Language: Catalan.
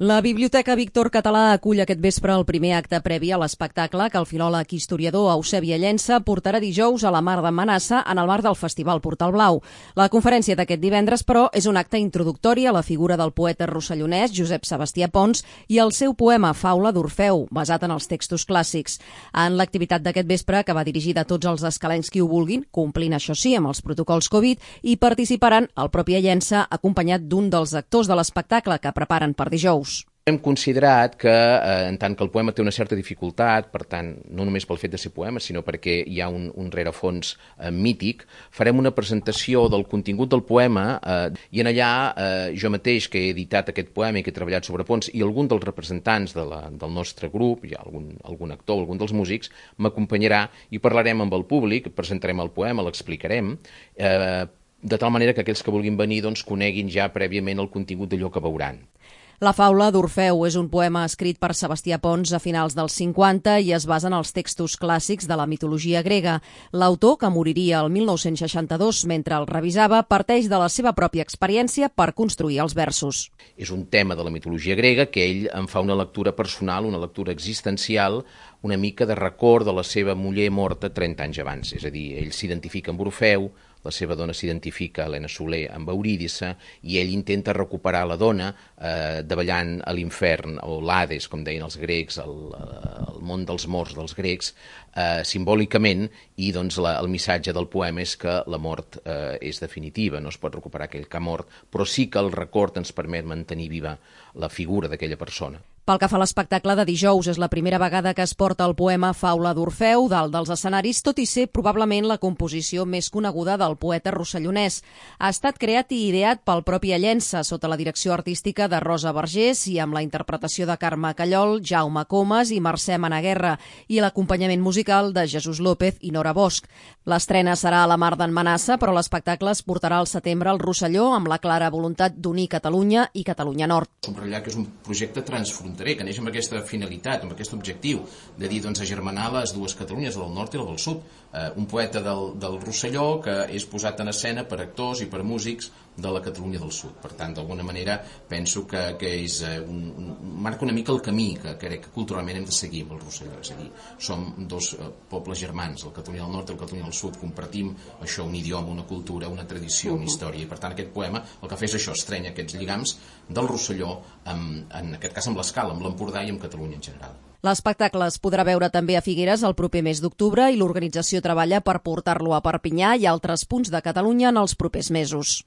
La Biblioteca Víctor Català acull aquest vespre el primer acte previ a l'espectacle que el filòleg i historiador Eusebi Llença portarà dijous a la Mar de Manassa en el marc del Festival Portal Blau. La conferència d'aquest divendres, però, és un acte introductori a la figura del poeta rossellonès Josep Sebastià Pons i el seu poema Faula d'Orfeu, basat en els textos clàssics. En l'activitat d'aquest vespre, que va dirigida a tots els escalencs qui ho vulguin, complint això sí amb els protocols Covid, hi participaran el propi Llença acompanyat d'un dels actors de l'espectacle que preparen per dijous. Hem considerat que, en tant que el poema té una certa dificultat, per tant, no només pel fet de ser poema, sinó perquè hi ha un rerefons mític, farem una presentació del contingut del poema i en allà jo mateix, que he editat aquest poema i que he treballat sobre Pons, i algun dels representants del nostre grup, hi ha algun actor, algun dels músics, m'acompanyarà i parlarem amb el públic, presentarem el poema, l'explicarem, de tal manera que aquells que vulguin venir coneguin ja prèviament el contingut d'allò que veuran. La Faula d'Orfeu és un poema escrit per Sebastià Pons a finals dels 50 i es basa en els textos clàssics de la mitologia grega. L'autor, que moriria el 1962 mentre el revisava, parteix de la seva pròpia experiència per construir els versos. És un tema de la mitologia grega que ell en fa una lectura personal, una lectura existencial, una mica de record de la seva muller morta 30 anys abans. És a dir, ell s'identifica amb Orfeu, la seva dona s'identifica, Helena Soler, amb Eurídice, i ell intenta recuperar la dona davallant a l'infern, o l'Hades, com deien els grecs, el món dels morts dels grecs, simbòlicament, i el missatge del poema és que la mort és definitiva, no es pot recuperar aquell que ha mort, però sí que el record ens permet mantenir viva la figura d'aquella persona. Pel que fa a l'espectacle de dijous, és la primera vegada que es porta el poema Faula d'Orfeu dalt dels escenaris, tot i ser probablement la composició més coneguda del poeta rossellonès. Ha estat creat i ideat pel propi Llença, sota la direcció artística de Rosa Vergés i amb la interpretació de Carme Callol, Jaume Comas i Mercè Managuerra, i l'acompanyament musical de Jesús López i Nora Bosch. L'estrena serà a la Mar d'en Manassa, però l'espectacle es portarà al setembre al Rosselló amb la clara voluntat d'unir Catalunya i Catalunya Nord. Subratllar que és un projecte transfronterer, que neix amb aquesta finalitat, amb aquest objectiu de dir, agermanar les dues Catalunyes, la del nord i la del sud. Un poeta del Rosselló que és posat en escena per actors i per músics de la Catalunya del sud. Per tant, d'alguna manera, penso que marca una mica el camí que crec que culturalment hem de seguir amb el Rosselló. És a dir, som dos pobles germans, la Catalunya del nord i la Catalunya del sud. Compartim això, un idioma, una cultura, una tradició, una història. I per tant, aquest poema el que fa és això, estrenya aquests lligams del Rosselló, en aquest cas amb l'Escala, amb l'Empordà i amb Catalunya en general. L'espectacle es podrà veure també a Figueres el proper mes d'octubre i l'organització treballa per portar-lo a Perpinyà i altres punts de Catalunya en els propers mesos.